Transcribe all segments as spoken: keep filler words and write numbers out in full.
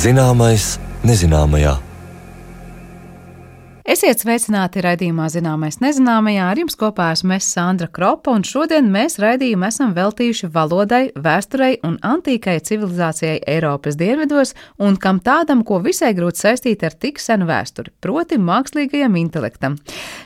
Zināmais nezināmajā. Esiet sveicināti raidījumā Zināmais nezināmajā. Ar jums kopā esmu es, Sandra Kropa, un šodien mēs raidījumu esam veltījuši valodai, vēsturei un antīkai civilizācijai Eiropas dienvidos, un kam tādam, ko visai grūti saistīt ar tik senu vēsturi, proti mākslīgajam intelektam.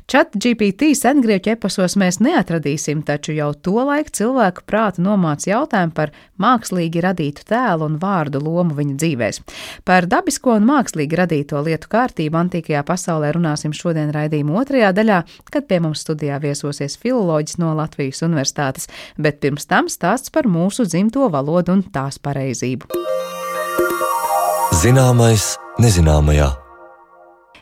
ChatGPT sengrieķu eposos mēs neatradīsim, taču jau tolaik cilvēku prātu nomāca jautājumu par mākslīgi radītu tēlu un vārdu lomu viņa dzīvēs. Par dabisko un mākslīgi radīto lietu kārtību antīkajā pasaulē runāsim šodien raidījuma otrajā daļā, kad pie mums studijā viesosies filoloģis no Latvijas Universitātes, bet pirms tam stāsts par mūsu dzimto valodu un tās pareizību. Zināmais nezināmajā.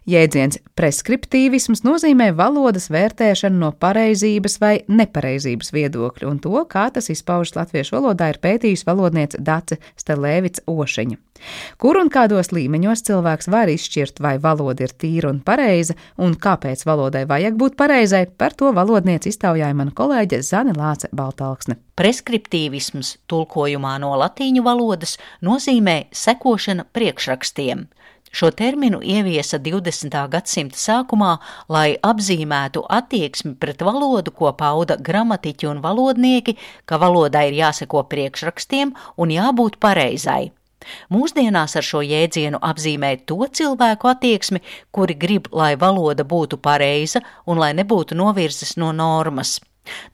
Jēdziens preskriptīvisms nozīmē valodas vērtēšanu no pareizības vai nepareizības viedokļa, un to, kā tas izpaužas latviešu valodā, ir pētījusi valodniece Dace Stelēvica Ošiņa. Kur un kādos līmeņos cilvēks var izšķirt, vai valoda ir tīra un pareiza, un kāpēc valodai vajag būt pareizai, par to valodniece iztaujāja mana kolēģe Zane Lāce Baltalksne. Preskriptīvisms tulkojumā no latīņu valodas nozīmē sekošana priekšrakstiem. Šo terminu ieviesa divdesmitā gadsimta sākumā, lai apzīmētu attieksmi pret valodu, ko pauda gramatiķi un valodnieki, ka valodai ir jāseko priekšrakstiem un jābūt pareizai. Mūsdienās ar šo jēdzienu apzīmē to cilvēku attieksmi, kuri grib, lai valoda būtu pareiza un lai nebūtu novirzes no normas.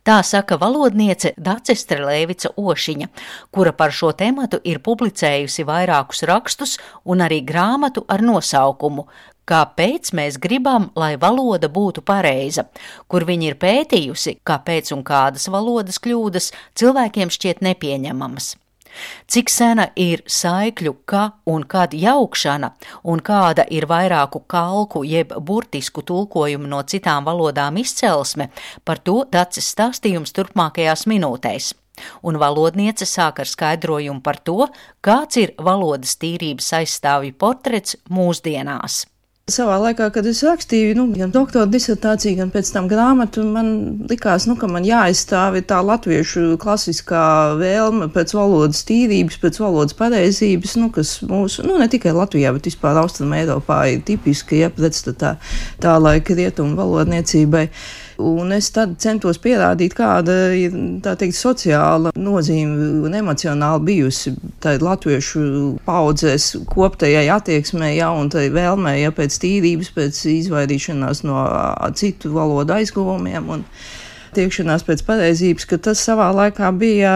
Tā saka valodniece Dace Stelēvica Ošiņa, kura par šo tematu ir publicējusi vairākus rakstus un arī grāmatu ar nosaukumu Kāpēc mēs gribam, lai valoda būtu pareiza, kur viņa ir pētījusi, kāpēc un kādas valodas kļūdas cilvēkiem šķiet nepieņemamas. Cik sena ir saikļu ka un kad jaukšana, un kāda ir vairāku kalku jeb burtisku tulkojumu no citām valodām izcelsme, par to Daces stāstījums turpmākajās minūtēs. Un valodniece sāk ar skaidrojumu par to, kāds ir valodas tīrības aizstāvju portrets mūsdienās. Savā laikā, kad es rakstīju, nu, gan doktora disertāciju, gan pēc tam grāmatu, man likās, nu, ka man jāaizstāv tā latviešu klasiskā vēlme pēc valodas tīrības, pēc valodas pareizības, nu, kas mūsu, nu, ne tikai Latvijā, bet vispār Austrum Eiropā ir tipiski, ja, pretstatā tā laika rietumu valodniecībai. Un es tad centos pierādīt, kāda ir, tā teikt, sociāla nozīme un emocionāli bijusi tā latviešu paudzēs koptajai attieksmei, ja, un tai vēlmei, ja, pēc tīrības, pēc izvairīšanās no citu valodu aizguvumiem un tiekšanās pēc pareizības, ka tas savā laikā bija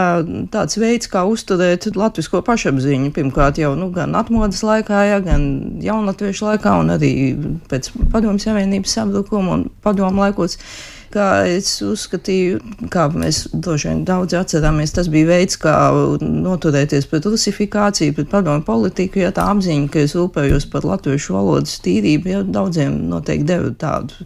tāds veids, kā uzturēt latvisko pašapziņu. Pirmkārt jau, nu, gan atmodas laikā, ja, gan jaunatviešu laikā, un arī pēc Padomju Savienības sabrukuma un padomu laikos, kā es uzskatīju, kā mēs droši vien daudz atcerāmies, tas bija veids, kā noturēties pret rusifikāciju, pret padomju politiku, ja tā apziņa, ka es rūpējos par latviešu valodas tīrību, ja daudziem noteikti deva tādu,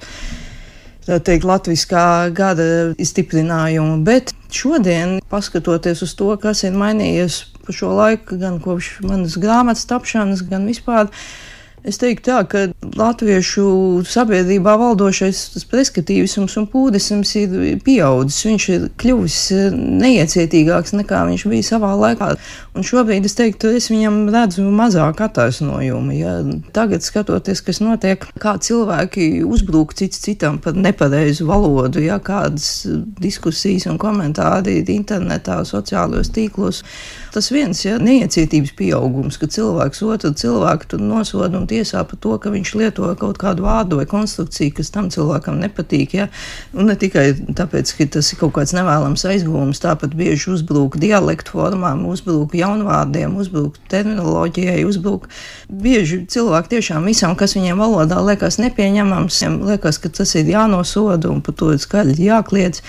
tā teikt, latviskā gada stiprinājumu, bet šodien, paskatoties uz to, kas ir mainījies pa šo laiku, gan kopš manas grāmatas tapšanas, gan vispār, es teiktu tā, ka latviešu sabiedrībā valdošais tas preskatīvisms un pūdisms ir pieaudzis. Viņš ir kļuvis neiecietīgāks nekā viņš bija savā laikā. Un šobrīd es teiktu, es viņam redzu mazāk attaisnojumu. Ja. Tagad skatoties, kas notiek, kā cilvēki uzbrūk cits citam par nepareizu valodu, ja, kādas diskusijas un komentāri ir internetā, sociālajos tīklos. Tas viens, ja, neiecietības pieaugums, ka cilvēks otru cilvēku tur nosoda un tiesā par to, ka viņš lieto kaut kādu vārdu vai konstrukciju, kas tam cilvēkam nepatīk, ja, un ne tikai tāpēc, ka tas ir kaut kāds nevēlams aizgūms, tāpat bieži uzbrūk dialektu formām, uzbrūk jaunvārdiem, uzbrūk terminoloģijai, uzbrūk bieži cilvēki tiešām visam, kas viņiem valodā liekas nepieņemams, liekas, ka tas ir jānosoda un par to ir skaļi jākliedz.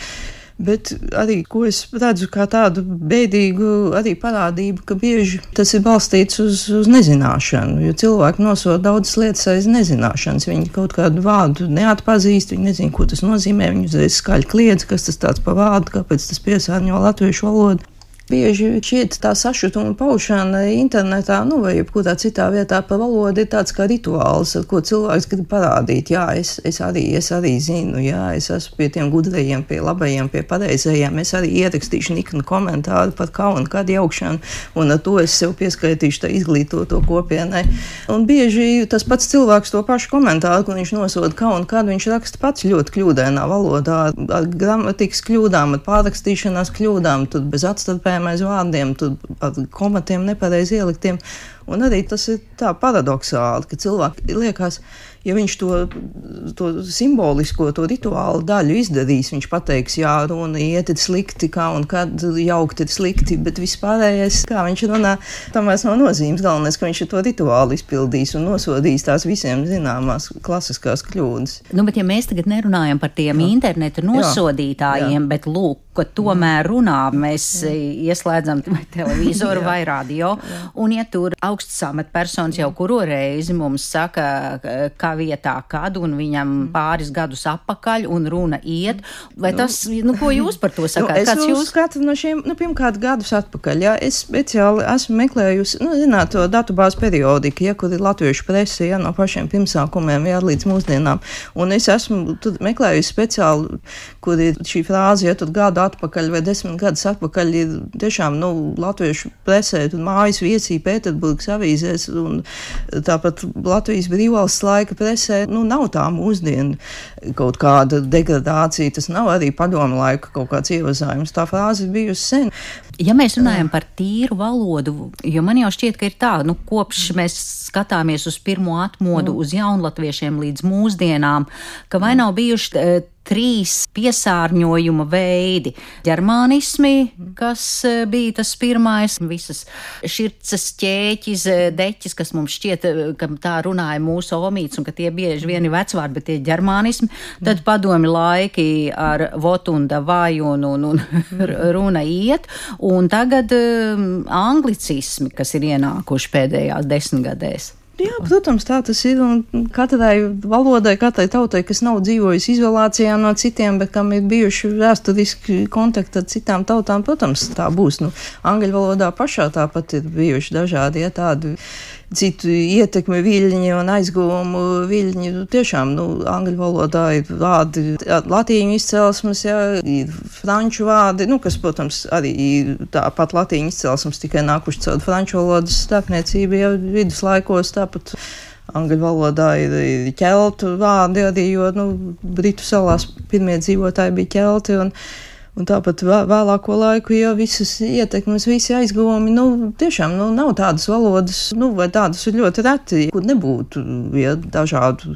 Bet arī, ko es redzu kā tādu bēdīgu arī parādību, ka bieži tas ir balstīts uz, uz nezināšanu, jo cilvēki nosoda daudzas lietas aiz nezināšanas. Viņi kaut kādu vārdu neatpazīst, viņi nezina, ko tas nozīmē, viņi uzreiz skaļi kliedz, kas tas tāds pa vārdu, kāpēc tas piesārņo latviešu valodu. Bieži šķiet tā sašutuma paušana internetā, nu vai jebkurā citā vietā par valodu ir tāds kā rituāls, ar ko cilvēks grib parādīt. Jā, es, es, arī, es arī zinu, jā, es esmu pie tiem gudrajiem, pie labajiem, pie pareizajiem. Es arī ierakstīšu niknu komentāru par kaunu kādu jaukšanu, un ar to es sev pieskaitīšu tā izglītoto kopienai. Un bieži tas pats cilvēks to pašu komentāru, kur viņš nosoda kaunu kādu, viņš raksta pats ļoti kļūdainā valodā, ar gramatikas kļūdām, ar pārrakstīšanās kļūdām, tur bez atstarpējuma aiz vārdiem, tur ar komatiem nepareizi ieliktiem. Un arī tas ir tā paradoxāli, ka cilvēki liekas, ja viņš to, to simbolisko, to rituālu daļu izdarīs, viņš pateiks, jā, runa iet ir slikti, kā un kad jaukt ir slikti, bet vispārējais, kā viņš runā, tam vairs nav nozīmes. Galvenais, ka viņš to rituālu izpildīs un nosodīs tās visiem zināmās klasiskās kļūdas. Nu, bet ja mēs tagad nerunājam par tiem jā. Interneta nosodītājiem, jā. Bet lūk, ka tomēr runā, mēs jā. Ieslēdzam vai televizoru vai radio, jā. Un ja tur augsts amatpersonas jau kuro reizi mums saka, kā vietā kad, un viņam pāris gadus apakaļ, un runa iet, vai tas, nu, ko jūs par to sakāt? Nu, es Kāds jūs skatu no šiem, nu, pirmkārt gadus atpakaļ, jā, es speciāli esmu meklējusi, nu, zināt, to datubāzi periodiku, ja, kur ir latviešu presi, ja, no pašiem pirmsākumiem, jā, līdz mūsdienām, un es esmu tur meklējusi speciāli, kur ir šī frāze, ja, tur gadu atpakaļ vai desmit gadus atpakaļ ir tiešām, nu, latviešu presē, un mājas viesī Pēterburgas avīzēs, un tāpat Latvijas brīvvalsts laika presē, nu, nav tā mūsdienu kaut kāda degradācija, tas nav arī padomu laika kaut kāds ievazājums, tā frāze bijusi sen. Ja mēs runājam par tīru valodu, jo man jau šķiet, ka ir tā, nu, kopš mēs skatāmies uz pirmo atmodu, uz jaunlatviešiem līdz mūsdienām, ka vai nav bijuši e, trīs piesārņojuma veidi. Ģermānismi, kas bija tas pirmais, visas širces, ķēķis, deķis, kas mums šķiet, ka tā runāja mūsu omīts un ka tie bieži vien ir vecvārdi, bet tie ģermānismi. Tad padomi laiki ar vot un davai un, un, un runa iet. Un tagad um, anglicismi, kas ir ienākuši pēdējās desmitgadēs. Jā, protams, tā tas ir, un katrai valodai, katrai tautai, kas nav dzīvojusi izolācijā no citiem, bet kam ir bijuši vēsturiski kontakti ar citām tautām, protams, tā būs. Nu, angļu valodā pašā tāpat ir bijuši dažādi, ja, tādi citu ietekmi viļņi un aizguvumu viļņi. Tiešām, nu, angļu valodā ir vārdi latīņu izcelsmes, ja, ir franču vārdi, nu, kas, protams, arī ir tāpat latīņu izcelsmes, tikai nākuši caur franču valodas starpniecību, ja, viduslaikos, tāpat angļu valodā ir, ir ķeltu vārdi arī, jo, nu, Britu salās pirmie dzīvotāji bija ķelti, un Un tāpat vēlāko laiku, ja visas ietekmes, visi aizguvumi, nu, tiešām, nu, nav tādas valodas, nu, vai tādas ir ļoti reti, kur nebūtu, ja, dažādu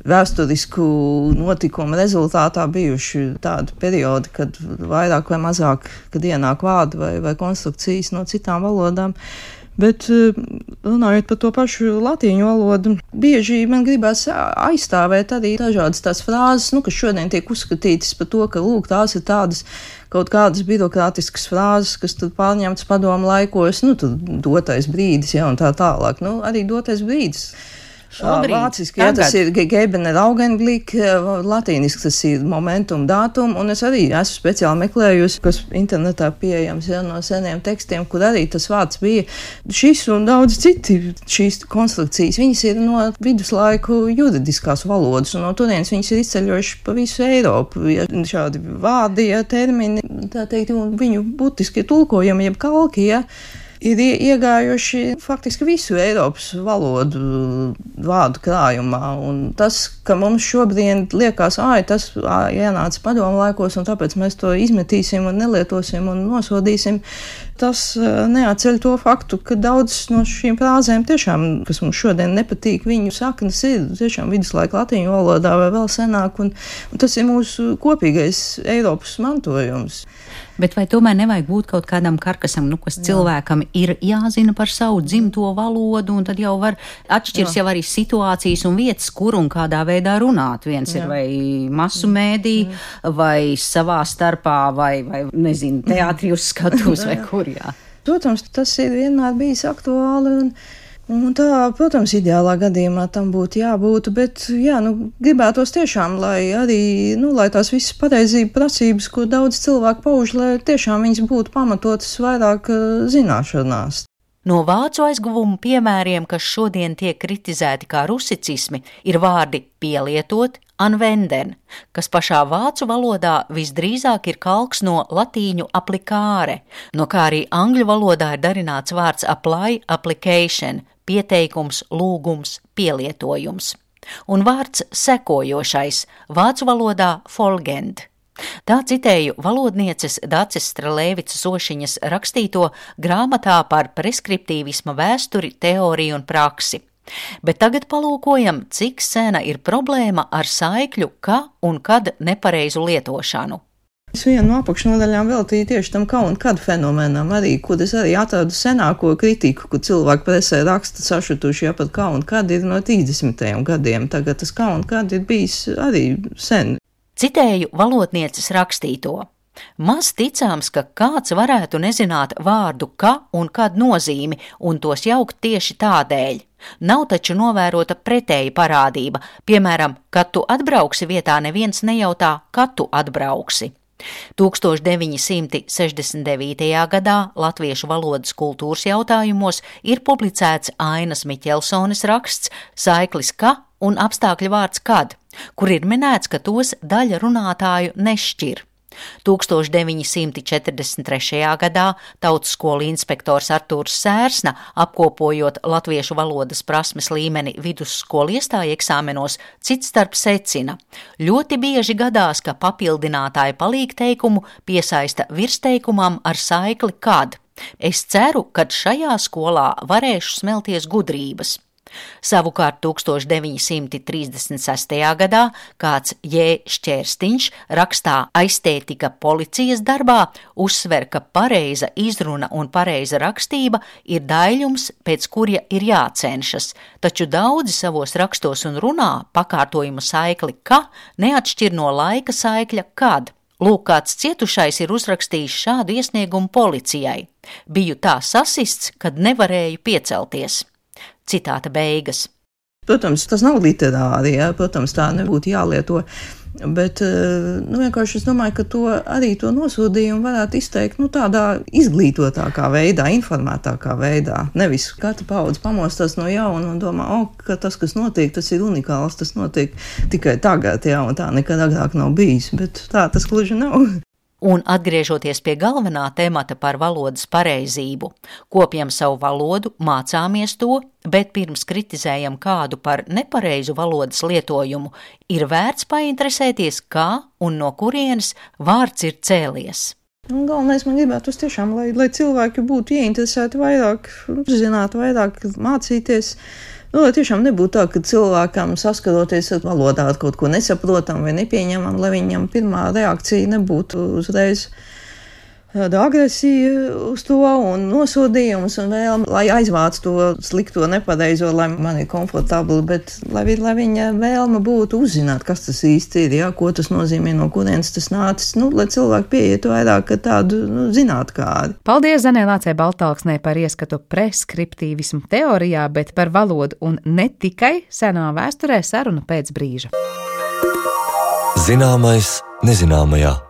vēsturisku notikumu rezultātā bijuši tādi periodi, kad vairāk vai mazāk, kad ienāk vārdi vai, vai konstrukcijas no citām valodām. Bet runājot par to pašu latīņu valodu, bieži man gribās aizstāvēt arī dažādas tās frāzes, nu, kas šodien tiek uzskatītas par to, ka, lūk, tās ir tādas kaut kādas birokrātiskas frāzes, kas tad pārņemtas padomu laikos, nu, tad dotais brīdis, ja, un tā tālāk. Nu, arī dotais brīdis. Šobrīd, vāciski, jā, tas ir Gegebener Augenblick, latīniski tas ir momentum, datum, un es arī esmu speciāli meklējusi, kas internetā pieejams, ja, no seniem tekstiem, kur arī tas vārds bija šis un daudz citi šīs konstrukcijas. Viņas ir no viduslaiku juridiskās valodas, un no turienes viņas ir izceļojuši pa visu Eiropu. Ja, šādi vārdi, ja, termini, tā teikt, un viņu būtiskie tulkojumi, jeb kalki, ja, ir iegājuši faktiski visu Eiropas valodu vārdu krājumā, un tas, ka mums šobrīd liekas, āj, tas āj, ienāca padomu laikos, un tāpēc mēs to izmetīsim un nelietosim un nosodīsim, tas neatceļ to faktu, ka daudzas no šīm frāzēm tiešām, kas mums šodien nepatīk, viņu saknes ir tiešām viduslaika latīņu valodā vai vēl senāk, un, un tas ir mūsu kopīgais Eiropas mantojums. Bet vai tomēr nevajag būt kaut kādam karkasam, nu, kas Jā. Cilvēkam ir jāzina par savu dzimto valodu, un tad jau var atšķirs Jā. Jau arī situācijas un vietas, kur un kādā veidā runāt. Viens Jā. Ir vai masu mēdī, Jā. Vai savā starpā, vai, vai nezinu, teātri uz skatuves vai kur, jā. Protams, tas ir vienmēr bijis aktuāli, un Un tā, protams, ideālā gadījumā tam būtu jābūt, bet, jā, nu, gribētos tiešām, lai arī, nu, lai tās visas pareizība prasības, ko daudz cilvēku pauž, lai tiešām viņas būtu pamatotas vairāk zināšanās. No vācu aizguvumu piemēriem, kas šodien tiek kritizēti kā rusicismi, ir vārdi pielietot, anvenden, kas pašā vācu valodā visdrīzāk ir kalks no latīņu applicare, no kā arī angļu valodā ir darināts vārds apply, application, pieteikums, lūgums, pielietojums. Un vārds sekojošais, vācu valodā folgend. Tā citēju valodnieces Daces Strelēvicas Ošiņas rakstīto grāmatā par preskriptīvisma vēsturi, teoriju un praksi. Bet tagad palūkojam, cik sena ir problēma ar saikļu ka un kad nepareizu lietošanu. Es vienu no apakšnodaļām veltīju tieši tam kā un kad fenomenam arī, kur es arī atradu senāko kritiku, kur cilvēki presē raksta sašutuši, ja pat kā un kad ir no trīsdesmitajiem gadiem. Tagad tas kā un kad ir bijis arī sen. Citēju valodnieces rakstīto. Maz ticāms, ka kāds varētu nezināt vārdu ka un kad nozīmi un tos jaukt tieši tādēļ. Nav taču novērota pretēja parādība, piemēram, kad tu atbrauksi vietā neviens nejautā, kad tu atbrauksi. tūkstoš deviņi simti sešdesmit devītajā gadā latviešu valodas kultūras jautājumos ir publicēts Ainas Miķelsones raksts Saiklis ka un apstākļu vārds kad, kur ir minēts, ka tos daļa runātāju nešķir. tūkstoš deviņi simti četrdesmit trešajā gadā tautskolu inspektors Artūrs Sērsna, apkopojot latviešu valodas prasmes līmeni vidusskolu iestāju eksāmenos, citstarp secina. Ļoti bieži gadās, ka papildinātāja palīgteikumu piesaista virsteikumam ar saikli kad. Es ceru, ka šajā skolā varēšu smelties gudrības. Savukārt tūkstoš deviņi simti trīsdesmit sestajā gadā kāds J. Šķērstiņš rakstā Aiztētika policijas darbā uzsver, ka pareiza izruna un pareiza rakstība ir daļums, pēc kurja ir jācenšas, taču daudzi savos rakstos un runā pakārtojumu saikli ka neatšķir no laika saikļa kad. Lūk, kāds cietušais ir uzrakstījis šādu iesniegumu policijai. Biju tā sasists, kad nevarēju piecelties. Citāta beigas. Protams, tas nav literāri, ja? Protams, tā nebūtu jālieto, bet nu, vienkārši es domāju, ka to arī to nosodījumu varētu izteikt nu, tādā izglītotākā veidā, informētākā veidā. Nevis katra paudze pamostās no jauna un domā, o, ka tas, kas notiek, tas ir unikāls, tas notiek tikai tagad, ja, un tā nekad agrāk nav bijis, bet tā tas gluži nav. Un atgriežoties pie galvenā temata par valodas pareizību, kopjam savu valodu, mācāmies to, bet pirms kritizējam kādu par nepareizu valodas lietojumu, ir vērts painteresēties, kā un no kurienes vārds ir cēlies. Un galvenais man gribētu tiešām, lai, lai cilvēki būtu ieinteresēti vairāk, zinātu vairāk, mācīties. Nu, lai tiešām nebūtu tā, ka cilvēkam saskaroties ar valodā ar kaut ko nesaprotam vai nepieņemam, lai viņam pirmā reakcija nebūtu uzreiz tāda agresija uz to un nosodījums un vēlme, lai aizvāc to slikto nepareizo, lai man ir komfortabli, bet lai, lai viņa vēlme būtu uzzināt, kas tas īsti ir, ja, ko tas nozīmē, no kurienes tas nācis, nu, lai cilvēki pieietu vairāk tādu nu, zinātkāri. Paldies Zanē Lācei Baltalksnei par ieskatu preskriptīvismu teorijā, bet par valodu un ne tikai senā vēsturē saruna pēc brīža. Zināmais nezināmajā.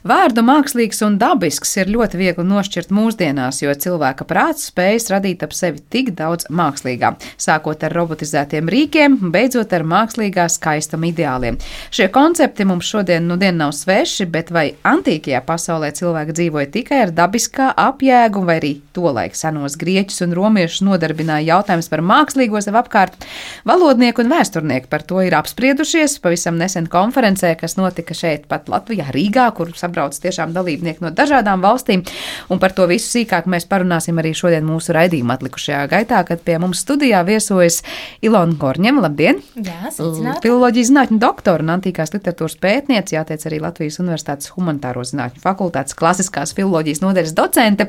Vārdu mākslīgs un dabisks ir ļoti viegli nošķirt mūsdienās, jo cilvēka prāts spējas radīt ap sevi tik daudz mākslīgā, sākot ar robotizētiem rīkiem, beidzot ar mākslīgā skaistuma ideāliem. Šie koncepti mums šodien nu dien nav sveši, bet vai antīkajā pasaulē cilvēki dzīvoja tikai ar dabiskā apjēgu, vai arī tolaik senos grieķus un romiešus nodarbināja jautājums par mākslīgo sev apkārt? Valodnieki un vēsturnieki par to ir apspriedušies pavisam nesen konferencē, kas notika šeit pat Latvijā, Rīgā, kur brauc tiešām dalībnieki no dažādām valstīm, un par to visu sīkāk mēs parunāsim arī šodien mūsu raidījuma atlikušajā gaitā, kad pie mums studijā viesojas Ilona Korņeva. Labdien! Jā, sveicināti! Filoloģijas zinātņu doktora un antīkās literatūras pētniece, jāteic arī Latvijas Universitātes humanitāro zinātņu fakultātes klasiskās filoloģijas nodaļas docente,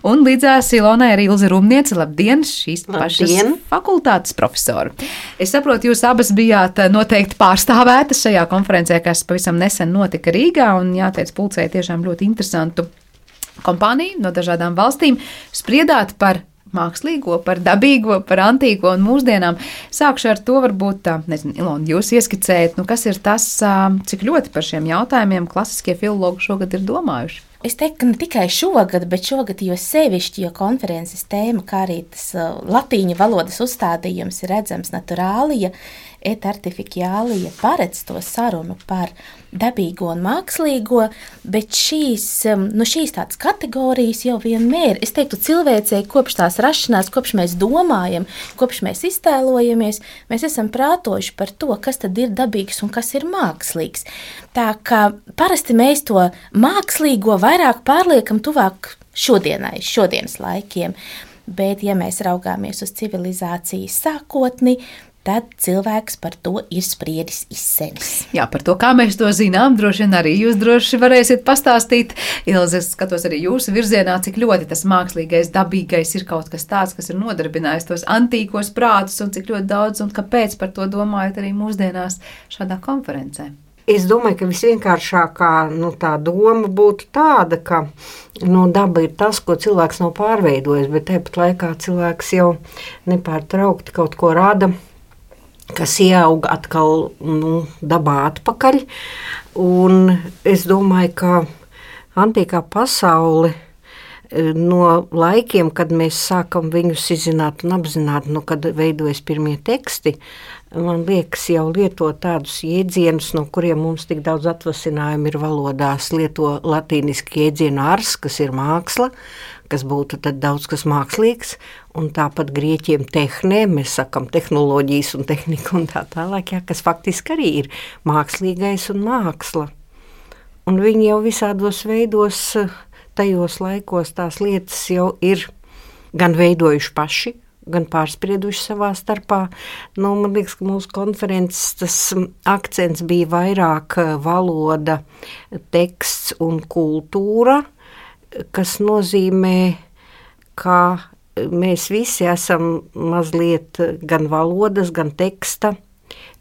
un līdzās Ilonai arī Ilze Rumniece. Labdien! Šīs pašas Labdien. Fakultātes profesori. Es saprotu, jūs abas bijāt noteikti pārstāvētas šajā konferencē, kas pavisam nesen notika Rīgā, un jāteic, pulcēja tiešām ļoti interesantu kompāniju no dažādām valstīm. Spriedāt par mākslīgo, par dabīgo, par antīko un mūsdienām. Sākšu ar to, varbūt, nezinu, Ilona, jūs ieskicējat, nu, kas ir tas, cik ļoti par šiem jautājumiem klasiskie filologi šogad ir domājuši. Es teiktu, ka ne tikai šogad, bet šogad jo sevišķi, jo konferences tēma, kā arī tas latīņu valodas uzstādījums ir redzams naturālija, et artificiālija paredz to sarunu par dabīgo un mākslīgo, bet šīs, nu šīs tādas kategorijas jau vienmēr, es teiktu, cilvēcei kopš tās rašanās, kopš mēs domājam, kopš mēs iztēlojamies, mēs esam prātojuši par to, kas tad ir dabīgs un kas ir mākslīgs. Tā kā parasti mēs to mākslīgo vairāk pārliekam tuvāk šodienai, šodienas laikiem, bet ja mēs raugāmies uz civilizācijas sākotni, tad cilvēks par to ir spriedis izsenis. Jā, par to, kā mēs to zinām, droši vien arī jūs droši varēsiet pastāstīt. Ilze, es skatos arī jūsu virzienā, cik ļoti tas mākslīgais, dabīgais ir kaut kas tāds, kas ir nodarbinājis tos antīkos prātus un cik ļoti daudz un kāpēc par to domājat arī mūsdienās šādā konferencē. Es domāju, ka visvienkāršākā nu, tā doma būtu tāda, ka nu, daba ir tas, ko cilvēks nav pārveidojis, bet tāpat laikā cilvēks jau nepārtraukti kaut ko rada, kas ieauga atkal nu, dabā atpakaļ. Un es domāju, ka antīkā pasaule no laikiem, kad mēs sākam viņus izzināt un apzināt, nu, kad veidojas pirmie teksti, man liekas, jau lieto tādus jēdzienus, no kuriem mums tik daudz atvasinājumu ir valodās. Lieto latīniski jēdzienu ars, kas ir māksla, kas būtu tad daudz kas mākslīgs, un tāpat grieķiem tehnē, mēs sakam tehnoloģijas un tehnika un tā tālāk, jā, kas faktiski arī ir mākslīgais un māksla. Un viņi jau visādos veidos, tajos laikos tās lietas jau ir gan veidojuši paši, gan pārsprieduši savā starpā. Nu, man liekas, ka mūsu konferences tas akcents bija vairāk valoda, teksts un kultūra, kas nozīmē, ka mēs visi esam mazliet gan valodas, gan teksta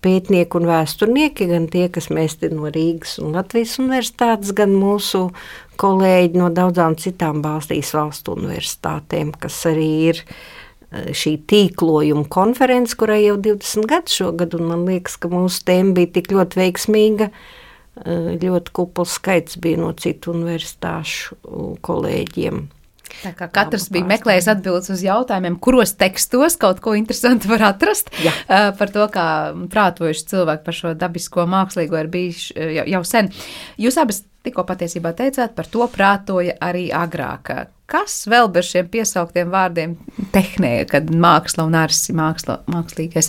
pētnieki un vēsturnieki, gan tie, kas mēs te no Rīgas un Latvijas universitātes, gan mūsu kolēģi no daudzām citām Baltijas valstu universitātēm, kas arī ir šī tīklojuma konference, kurai jau divdesmit gadu šogad, un man liekas, ka mūsu tēma bija tik ļoti veiksmīga, ļoti kupls skaits bija no citu universitāšu kolēģiem. Tā kā katrs bija meklējis atbildes uz jautājumiem, kuros tekstos kaut ko interesantu var atrast. Jā. Par to, kā prātojuši cilvēki par šo dabisko mākslīgo ir bijis jau, jau sen. Jūs abas tikko patiesībā teicāt, par to prātoja arī agrāk. Kas vēl bez šiem piesauktiem vārdiem tehnē, kad māksla un arsi māksla, mākslīgais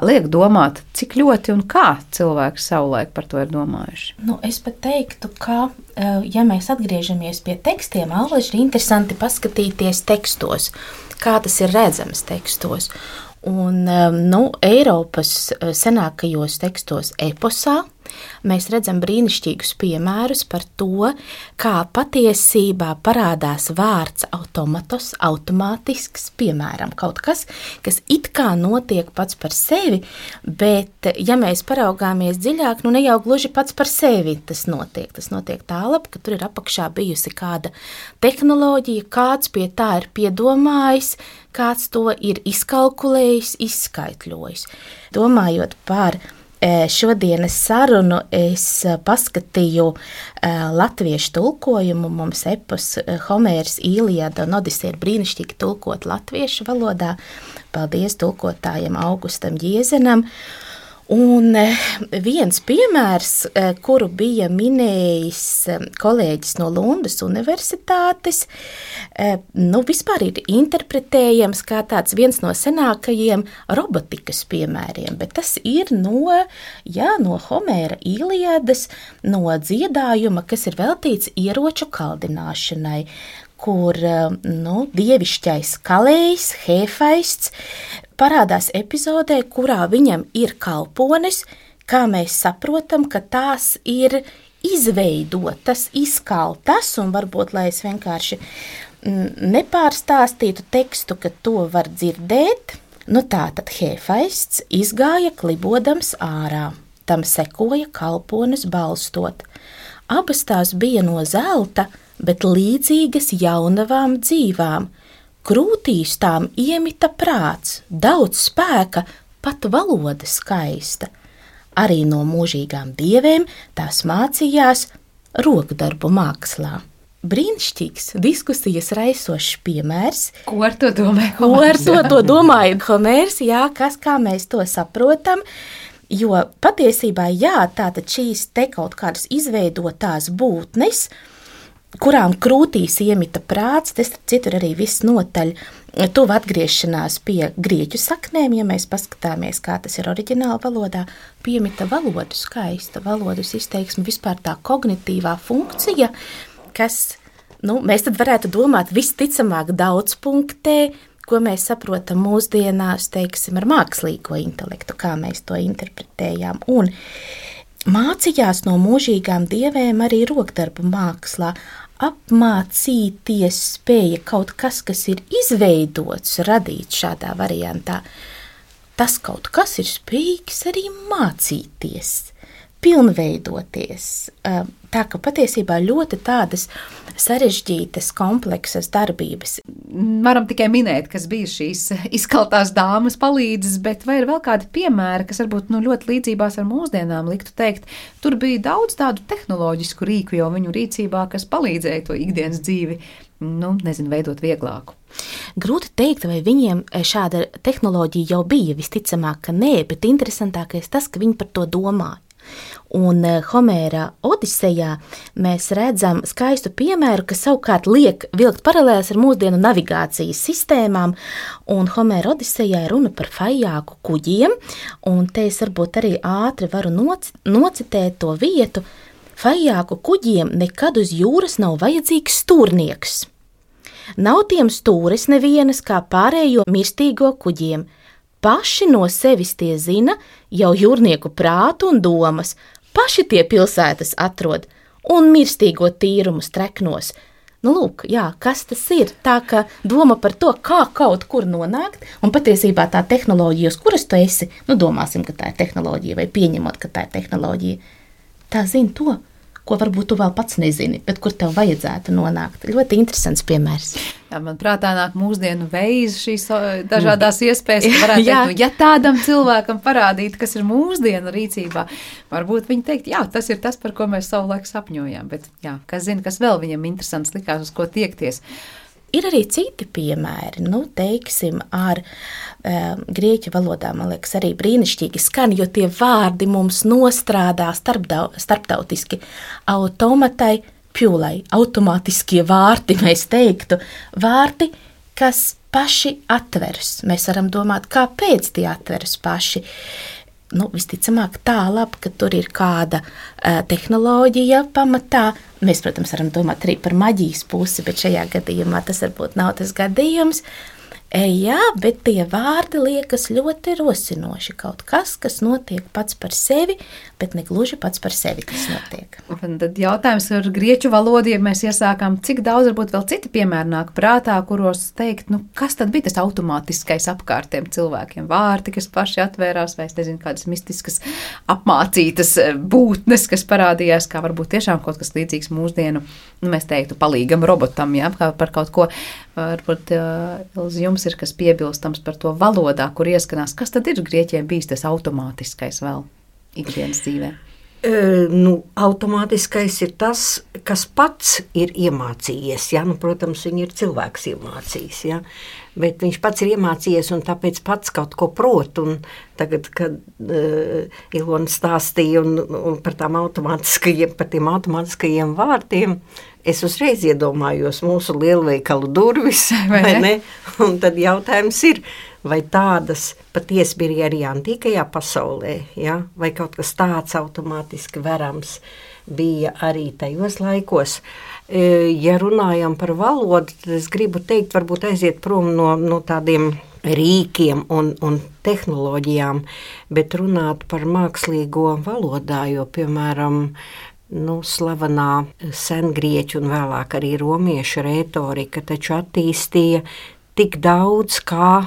liek domāt, cik ļoti un kā cilvēki savulaik par to ir domājuši? Nu, es pat teiktu, ka, ja mēs atgriežamies pie tekstiem, Alvaži ir interesanti paskatīties tekstos, kā tas ir redzams tekstos. Un, nu, Eiropas senākajos tekstos eposā mēs redzam brīnišķīgus piemērus par to, kā patiesībā parādās vārds automatos, automātisks, piemēram, kaut kas, kas it kā notiek pats par sevi, bet, ja mēs paraugāmies dziļāk, nu ne jau gluži pats par sevi tas notiek. Tas notiek tālāk, ka tur ir apakšā bijusi kāda tehnoloģija, kāds pie tā ir piedomājis, kāds to ir izkalkulējis, izskaitļojis. Domājot par šodienas sarunu, es paskatīju latviešu tulkojumu. Mums epos Homērs, Īlijāda un Odiseja ir brīnišķīgi tulkot latviešu valodā. Paldies tulkotājiem Augustam Jiezenam. Un viens piemērs, kuru bija minējis kolēģis no Lundas universitātes, nu vispār ir interpretējams kā tāds viens no senākajiem robotikas piemēriem, bet tas ir no, jā, no Homēra Īlijādas, no dziedājuma, kas ir veltīts ieroču kaldināšanai, kur nu, dievišķais kalējs, Hefaists, parādās epizodē, kurā viņam ir kalpones, kā mēs saprotam, ka tās ir izveidotas, izkaltas, un varbūt, lai es vienkārši nepārstāstītu tekstu, ka to var dzirdēt, nu tātad Hefaists izgāja klibodams ārā, tam sekoja kalpones balstot. Abas tās bija no zelta, bet līdzīgas jaunavām dzīvām, krūtīs tām iemita prāts, daudz spēka, pat valoda skaista. Arī no mūžīgām dievēm tās mācījās rokdarbu mākslā. Brīnišķīgs diskusijas raisošs piemērs. Ko ar to domāju? Ko ar to, to domāju Homērs, jā, kas, kā mēs to saprotam, jo patiesībā, jā, tātad šīs te kaut kādas izveidotās būtnes, kurām krūtīs iemita prāts, tas citur arī viss notaļ tuvu atgriešanās pie grieķu saknēm, ja mēs paskatāmies, kā tas ir oriģināla valodā, piemita valodu skaista, valodas izteiksme, vispār tā kognitīvā funkcija, kas, nu, mēs tad varētu domāt visticamāk daudzpunktē, ko mēs saprotam mūsdienās, teiksim, ar mākslīgo intelektu, kā mēs to interpretējām. Un mācījās no mūžīgām dievēm arī rokdarbu mākslā, apmācīties spēja kaut kas, kas ir izveidots, radīts šādā variantā. Tas kaut kas ir spējīgs arī mācīties, pilnveidoties. Tā ka patiesībā ļoti tādas sarežģītas, kompleksas darbības. Varam tikai minēt, kas bija šīs izkaltās dāmas palīdzes, bet vai ir vēl kādi piemēri, kas varbūt nu, ļoti līdzībās ar mūsdienām liktu teikt, tur bija daudz tādu tehnoloģisku rīku jau viņu rīcībā, kas palīdzēja to ikdienas dzīvi, nu, nezinu, veidot vieglāku. Grūti teikt, vai viņiem šāda tehnoloģija jau bija, visticamāk, ka nē, bet interesantākais tas, ka viņi par to domāja. Un Homēra Odisejā mēs redzam skaistu piemēru, kas savukārt liek vilkt paralēles ar mūsdienu navigācijas sistēmām, un Homēra Odisejā ir runa par fajāku kuģiem, un te es varbūt arī ātri varu noc- nocitēt to vietu. Fajāku kuģiem nekad uz jūras nav vajadzīgs stūrnieks. Nav tiem stūres nevienas kā pārējo mirstīgo kuģiem. Paši no sevis tie zina jau jūrnieku prātu un domas, paši tie pilsētas atrod un mirstīgo tīrumu streknos. Nu, lūk, jā, kas tas ir? Tā ka doma par to, kā kaut kur nonākt, un patiesībā tā tehnoloģija, uz kuras tu esi, nu, domāsim, ka tā ir tehnoloģija, vai pieņemot, ka tā ir tehnoloģija, tā zina to, ko varbūt tu vēl pats nezini, bet kur tev vajadzētu nonākt. Ļoti interesants piemērs. Jā, man prātā nāk mūsdienu veiz šīs dažādās iespējas, ka varētu teikt, nu, ja tādam cilvēkam parādīt, kas ir mūsdienu rīcībā, varbūt viņi teikt, jā, tas ir tas, par ko mēs savulaik sapņojām, bet jā, kas zina, kas vēl viņam interesants likās, uz ko tiekties. Ir arī citi piemēri, nu, teiksim, ar um, grieķu valodā, man liekas, arī brīnišķīgi skan, jo tie vārdi mums nostrādā starpdau, starptautiski automatai, pjūlai, automātiskie vārti, mēs teiktu, vārti, kas paši atveras. Mēs varam domāt, kāpēc tie atveras paši. Nu, visticamāk tā labi, ka tur ir kāda uh, tehnoloģija pamatā. Mēs, protams, varam domāt arī par maģijas pusi, bet šajā gadījumā tas varbūt nav tas gadījums. E, jā, bet tie vārdi liekas ļoti rosinoši. Kaut kas, kas notiek pats par sevi, bet ne gluži pats par sevi, kas notiek. Un tad jautājums ar grieķu valodu, ja mēs iesākām, cik daudz varbūt vēl citi piemēri nāk prātā, kuros teikt, nu, kas tad bija tas automātiskais apkārtiem cilvēkiem? Vārti, kas paši atvērās, vai es nezinu, kādas mistiskas apmācītas būtnes, kas parādījās, kā varbūt tiešām kaut kas līdzīgs mūsdienu, nu, mēs teiktu, palīgam robotam, jā, kā par kaut ko. Varbūt uh, jums ir kas piebilstams par to valodā, kur ieskanās, kas tad ir grieķiem bijis tas automātiskais vēl ikdienas dzīvē? E, nu, automātiskais ir tas, kas pats ir iemācījies. Ja? Nu, protams, viņi ir cilvēks iemācījis, ja? Bet viņš pats ir iemācījies un tāpēc pats kaut ko prot. Un tagad, kad uh, Ilona stāstīja un, un par, tām automātiskajiem, par tiem automātiskajiem vārtiem, es uzreiz iedomājos mūsu lielveikalu durvis, vai ne? ne? Un tad jautājums ir, vai tādas patiesi bija arī antīkajā pasaulē, ja? Vai kaut kas tāds automātiski verams bija arī tajos laikos. Ja runājam par valodu, tad es gribu teikt, varbūt aiziet prom no, no tādiem rīkiem un, un tehnoloģijām, bet runāt par mākslīgo valodā, jo, piemēram, nu, slavenā sengrieķu un vēlāk arī romiešu retorika taču attīstīja tik daudz kā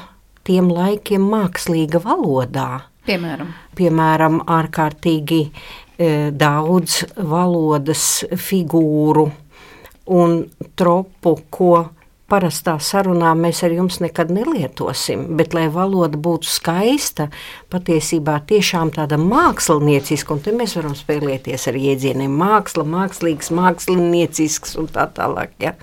tiem laikiem mākslīga valodā. Piemēram? Piemēram, ārkārtīgi e, daudz valodas figūru un tropu, ko parastā sarunā mēs ar jums nekad nelietosim, bet lai valoda būtu skaista, patiesībā tiešām tāda mākslinieciska, un te mēs varam spēlēties ar jēdzieniem māksla, mākslīgs, māksliniecisks un tā tālāk, ja?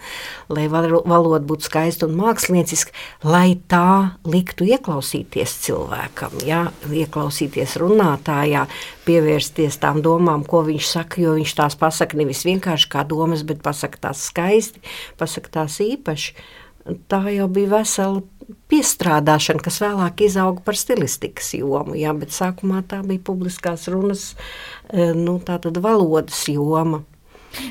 Lai valoda būtu skaista un mākslinieciska, lai tā liktu ieklausīties cilvēkam, ja? Ieklausīties runātājā, pievērsties tām domām, ko viņš saka, jo viņš tās pasaka nevis vienkārši kā domas, bet pasaka tās skaisti, pasaka tās īpaši. Tā jau bija vesela piestrādāšana, kas vēlāk izauga par stilistikas jomu, jā, bet sākumā tā bija publiskās runas, nu, tā tad valodas joma.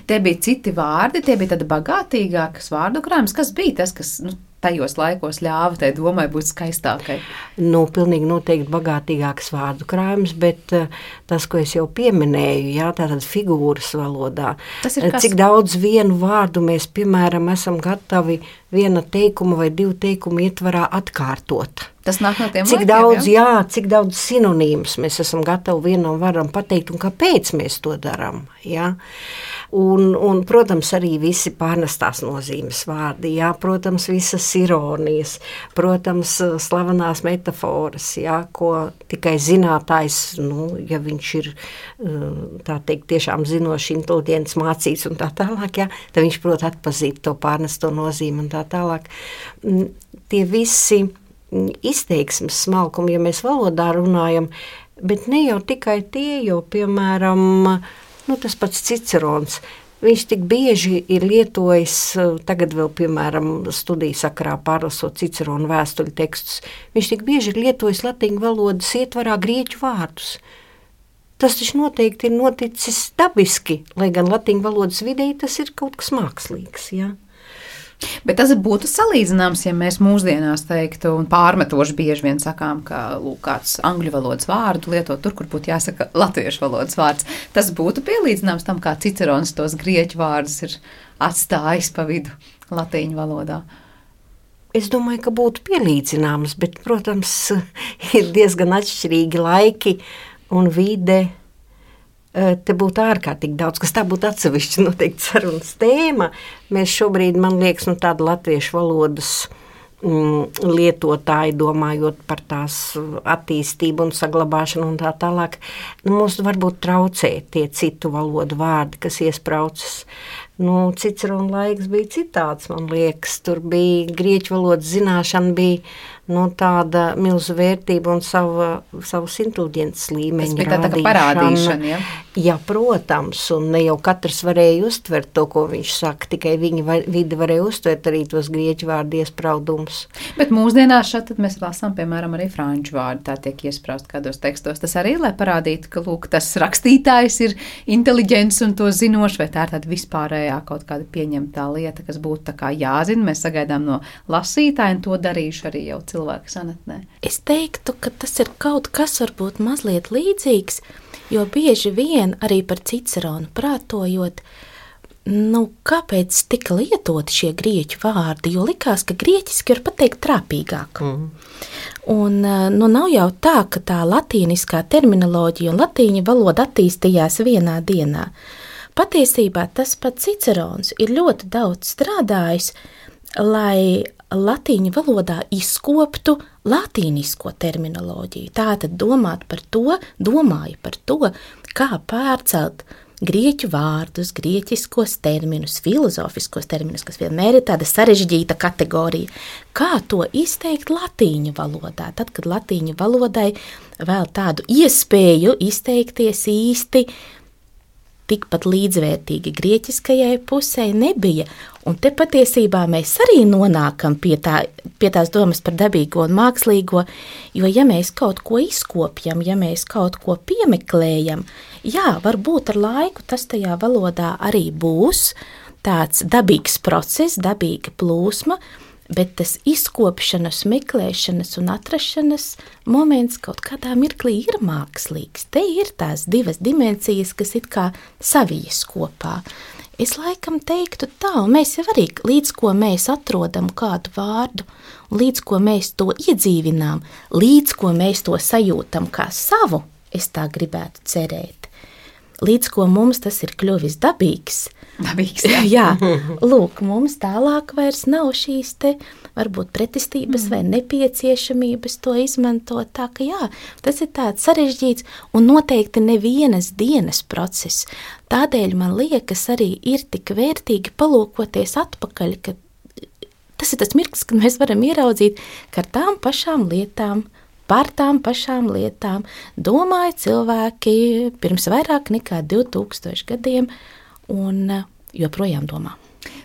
Tie bija citi vārdi, tie bija tāda bagātīgākas vārdu krājums. Kas bija tas, kas nu, tajos laikos ļāva tai domai būt skaistākai? Nu, pilnīgi noteikti bagātīgāks vārdu krājums, bet uh, tas, ko es jau pieminēju, jā, tātad figūras valodā. Cik daudz vienu vārdu mēs, piemēram, esam gatavi viena teikuma vai divu teikumu ietvarā atkārtot. Tas nāk no tiem cik laikiem, daudz, jā? jā, cik daudz sinonīmus mēs esam gatavi vienam varam pateikt un kāpēc mēs to darām, jā. Un, un, protams, arī visi pārnestās nozīmes vārdi, jā, protams, visas ironijas, protams, slavenās metaforas, jā, ko tikai zinātājs, nu, ja viņš ir, tā teikt, tiešām zinoši, inteliģents, mācīts un tā tālāk, jā, tad viņš prot atpazīt to pārnesto nozīmi un tā tālāk. Tie visi izteiksmes smalkumi, ja mēs valodā runājam, bet ne jau tikai tie, jo, piemēram, nu, tas pats Cicerons, viņš tik bieži ir lietojis, tagad vēl, piemēram, studiju sakarā pārlasot Ciceronu vēstuļu tekstus, viņš tik bieži ir lietojis latīņu valodas ietvarā grieķu vārdus. Tas taču noteikti ir noticis dabiski, lai gan latīņu valodas videi tas ir kaut kas mākslīgs, jā. Bet tas būtu salīdzināms, ja mēs mūsdienās teiktu un pārmetoši bieži vien sakām, ka lūk, kāds angļu valodas vārdu lietot tur, kur būtu jāsaka latviešu valodas vārds. Tas būtu pielīdzināms tam, kā Cicerons tos grieķu vārdus ir atstājis pa vidu latīņu valodā. Es domāju, ka būtu pielīdzināms, bet, protams, ir diezgan atšķirīgi laiki un vide. Te būtu ārkārtīgi daudz, kas tā būtu atsevišķi noteikti sarunas tēma. Mēs šobrīd, man liekas, nu tāda latviešu valodas mm, lietotāji, domājot par tās attīstību un saglabāšanu un tā tālāk, nu, mums varbūt traucē tie citu valodu vārdi, kas iespraucas. Nu, Cicerona laiks bija citāds, man liekas, tur bija grieķu valodas zināšana, bija nu, tāda milzu vērtība un sava, savas inteliģences līmeņa rādīšana. Tas bija tā kā parādīšana, ja? Jā, protams, un ne jau katrs varēja uztvert to, ko viņš saka, tikai viņa var, vide varēja uztvert arī tos grieķu vārdu iespraudumus. Bet mūsdienās šeit tad mēs lasām, piemēram, arī franču vārdu, tā tiek iespraust kādos tekstos. Tas arī, lai parādītu, ka, lūk, tas rakstītājs ir inteliģents un to zinošs, vai tā ir tāda vispārējā kaut kāda pieņemtā lieta, kas būtu tā kā jāzina, mēs sagaidām no lasītāja, un to darīšu arī jau cilvēku sanatnē. Es teiktu, ka tas ir kaut kas varbūt mazliet līdzīgs, jo bieži vien arī par Ciceronu prātojot, nu, kāpēc tika lietoti šie grieķu vārdi, jo likās, ka grieķiski var pateikt trāpīgāk. Mm. Un, nu, nav jau tā, ka tā latīniskā terminoloģija un latīņu valoda attīstījās vienā dienā. Patiesībā tas pats Cicerons ir ļoti daudz strādājis, lai latīņu valodā izkoptu latīnisko terminoloģiju. Tātad domāt par to, domāju par to, kā pārcelt grieķu vārdus, grieķiskos terminus, filozofiskos terminus, kas vienmēr ir tāda sarežģīta kategorija. Kā to izteikt latīņu valodā? Tad, kad latīņu valodai vēl tādu iespēju izteikties īsti tikpat līdzvērtīgi grieķiskajai pusē nebija. Un te patiesībā mēs arī nonākam pie, tā, pie tās domas par dabīgo un mākslīgo, jo ja mēs kaut ko izkopjam, ja mēs kaut ko piemeklējam, jā, varbūt ar laiku tas tajā valodā arī būs tāds dabīgs process, dabīga plūsma, bet tas izkopšanas, meklēšanas un atrašanas moments kaut kādā mirklī ir mākslīgs. Te ir tās divas dimensijas, kas it kā savijas kopā. Es laikam teiktu tā, un mēs jau arī līdz ko mēs atrodam kādu vārdu, līdz ko mēs to iedzīvinām, līdz ko mēs to sajūtam kā savu, es tā gribētu cerēt. līdz ko mums tas ir kļuvis dabīgs. Dabīgs, jā. jā, lūk, mums tālāk vairs nav šīs te varbūt pretestības mm. vai nepieciešamības to izmantot. Tā ka jā, tas ir tāds sarežģīts un noteikti nevienas dienas process. Tādēļ man liekas arī ir tik vērtīgi palūkoties atpakaļ, ka tas ir tas mirklis, kad mēs varam ieraudzīt, ka ar tām pašām lietām, par tām pašām lietām domāja cilvēki pirms vairāk nekā divi tūkstoši gadiem un joprojām domā.